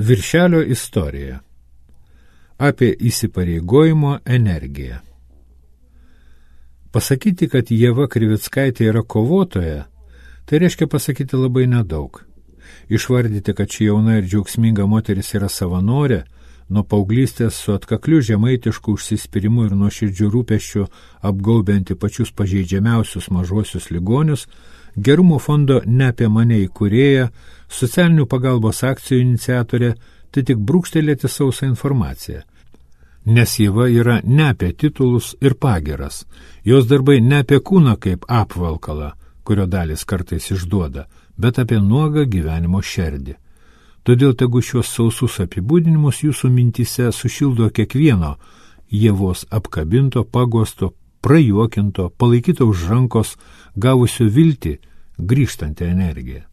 Viršelio istorija. Apie įsipareigojimo energiją. Pasakyti, kad Ieva Krivickaitė yra kovotoja, tai reiškia pasakyti labai nedaug. Išvardyti, kad ši jauna ir džiaugsminga moteris yra savanorė, nuo paauglystės su atkakliu žemaitišku užsispyrimu ir nuoširdžiu rūpesčiu apgaubianti pačius pažeidžiamiausius mažuosius ligonius, Gerumo fondo Ne apie mane įkūrėja, socialinių pagalbos akcijų iniciatorė, tai tik brūkštelėti sausą informaciją. Nes Ieva yra ne apie titulus ir pagiras, jos darbai ne apie kūną kaip apvalkalą, kurio dalis kartais išduoda, bet apie nuogą gyvenimo šerdį. Todėl tegu šios sausus apibūdinimus jūsų mintyse sušildo kiekvieno Ievos apkabinto, paguosto, prajuokinto, palaikyto už rankos, gavusio viltį, grįžtantį energiją.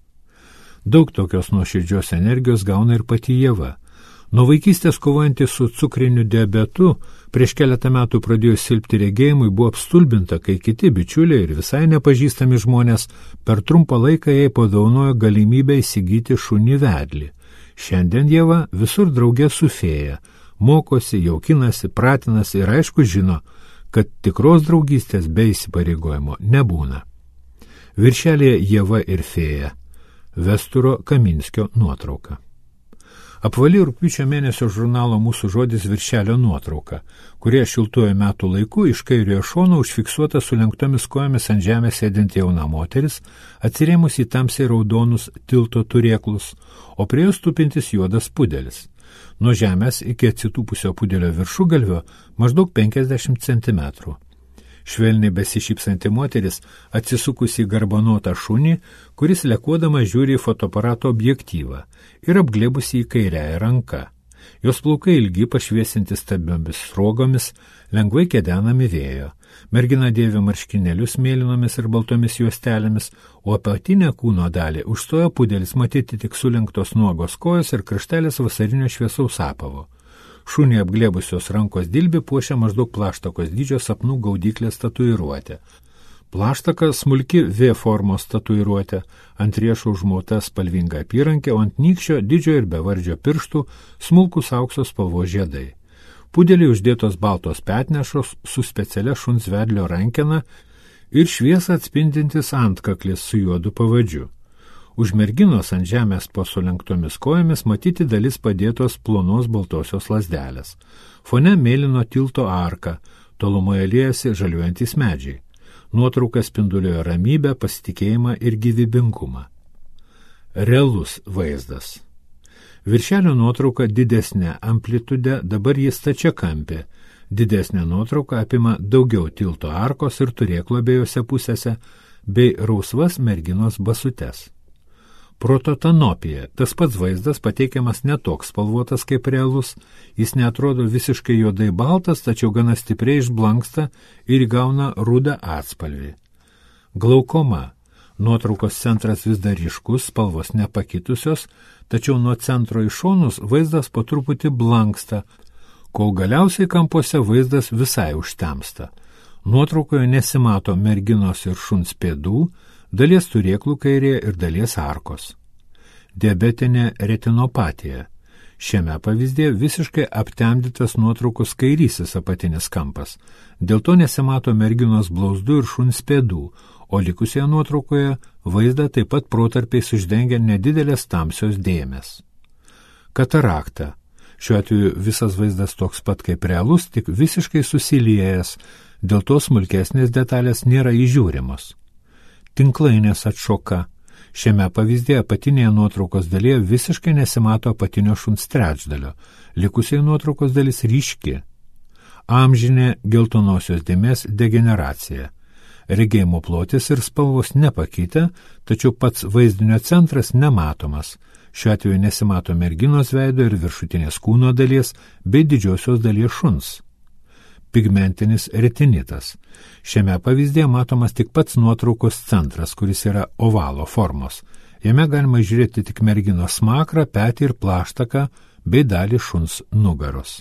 Daug tokios nuoširdžios energijos gauna ir pati Ieva. Nuo vaikystės kovojanti su cukriniu diabetu, prieš keletą metų pradėjo silpti regėjimui, buvo apstulbinta, kai kiti bičiuliai ir visai nepažįstami žmonės per trumpą laiką jai padovanojo galimybę įsigyti šunį vedlį. Šiandien Ieva visur draugė su fėja, mokosi, jaukinasi, pratinasi ir aišku žino, kad tikros draugystės be įsipareigojimo nebūna. Viršelėje Ieva ir fėja. Vesturo Kaminskio nuotrauka. Apvali rugpjūčio mėnesio žurnalo Mūsų žodis viršelio nuotrauka, kurie šiltuoju metų laiku iš kairiojo šono užfiksuota sulenktomis kojomis ant žemės sėdinti jauna moteris, atsirėmus į tamsiai raudonus tilto turėklus, o prie jos tupintis juodas pudelis. Nuo žemės iki atsitūpusio pudelio viršugalvio maždaug 50 centimetrų. Švelniai besišypsanti moteris atsisukusi į garbanotą šunį, kuris lekuodama žiūri į fotoaparato objektyvą ir apglėbusi į kairiąją ranką. Jos plaukai ilgi, pašviesinti stabiomis sruogomis, lengvai kedenami vėjo. Mergina dėvi marškinėlius mėlynomis ir baltomis juostelėmis, o apatinę kūno dalį užstojo pudelis, matyti tik sulenktos nuogos kojos ir kraštelis vasarinio šviesaus apavo. Šunį apglėbusios rankos dilbį puošia maždaug plaštakos dydžio sapnų gaudyklės tatuiruotė. Plaštaka smulki V formos tatuiruotė, ant riešo užmauta spalvinga apyrankė, o ant nykščio didžio ir bevardžio pirštų smulkus aukso spalvos žiedai. Pudeliai uždėtos baltos petnešos su specialia šuns vedlio rankena ir šviesą atspindintis antkaklis su juodu pavadžiu. Už merginos ant žemės po sulenktomis kojomis matyti dalis padėtos plonos baltosios lazdelės. Fone mėlyno tilto arka, tolumoje liejasi žaliuojantys medžiai. Nuotrauka spinduliojo ramybę, pasitikėjimą ir gyvybingumą. Realus vaizdas. Viršelio nuotrauka didesnė amplitude, dabar jis stačiakampė. Didesnė nuotrauka apima daugiau tilto arkos ir turėklo abiejose pusėse, bei rausvas merginos basutes. Prototanopija. Tas pats vaizdas pateikiamas netoks spalvotas kaip realus, jis neatrodo visiškai juodai baltas, tačiau gana stipriai išblanksta ir įgauna rudą atspalvį. Glaukoma. Nuotraukos centras vis dar ryškus, spalvos nepakitusios, tačiau nuo centro į šonus vaizdas po truputį blanksta, kol galiausiai kampuose vaizdas visai užtemsta. Nuotraukoje nesimato merginos ir šuns pėdų, dalies turėklų kairėje ir dalies arkos. Diabetinė retinopatija. Šiame pavyzdėje visiškai aptemdytas nuotraukos kairysis apatinis kampas. Dėl to nesimato merginos blauzdų ir šuns pėdų, o likusioje nuotraukoje vaizdą taip pat protarpiais uždengia nedidelės tamsios dėmės. Katarakta. Šiuo atveju visas vaizdas toks pat kaip realus, tik visiškai susiliejęs, dėl to smulkesnės detalės nėra įžiūrimos. Tinklainės atšoka. Šiame pavyzdėje apatinėje nuotraukos dalyje visiškai nesimato apatinio šuns trečdalio, likusiai nuotraukos dalis ryški. Amžinė geltonosios dėmės degeneracija. Regėjimo plotis ir spalvos nepakitę, tačiau pats vaizdinio centras nematomas. Šiuo atveju nesimato merginos veido ir viršutinės kūno dalies bei didžiosios dalies šuns. Pigmentinis retinitas. Šiame pavyzdėje matomas tik pats nuotraukos centras, kuris yra ovalo formos. Jame galima žiūrėti tik merginos smakrą, petį ir plaštaką bei dalį šuns nugaros.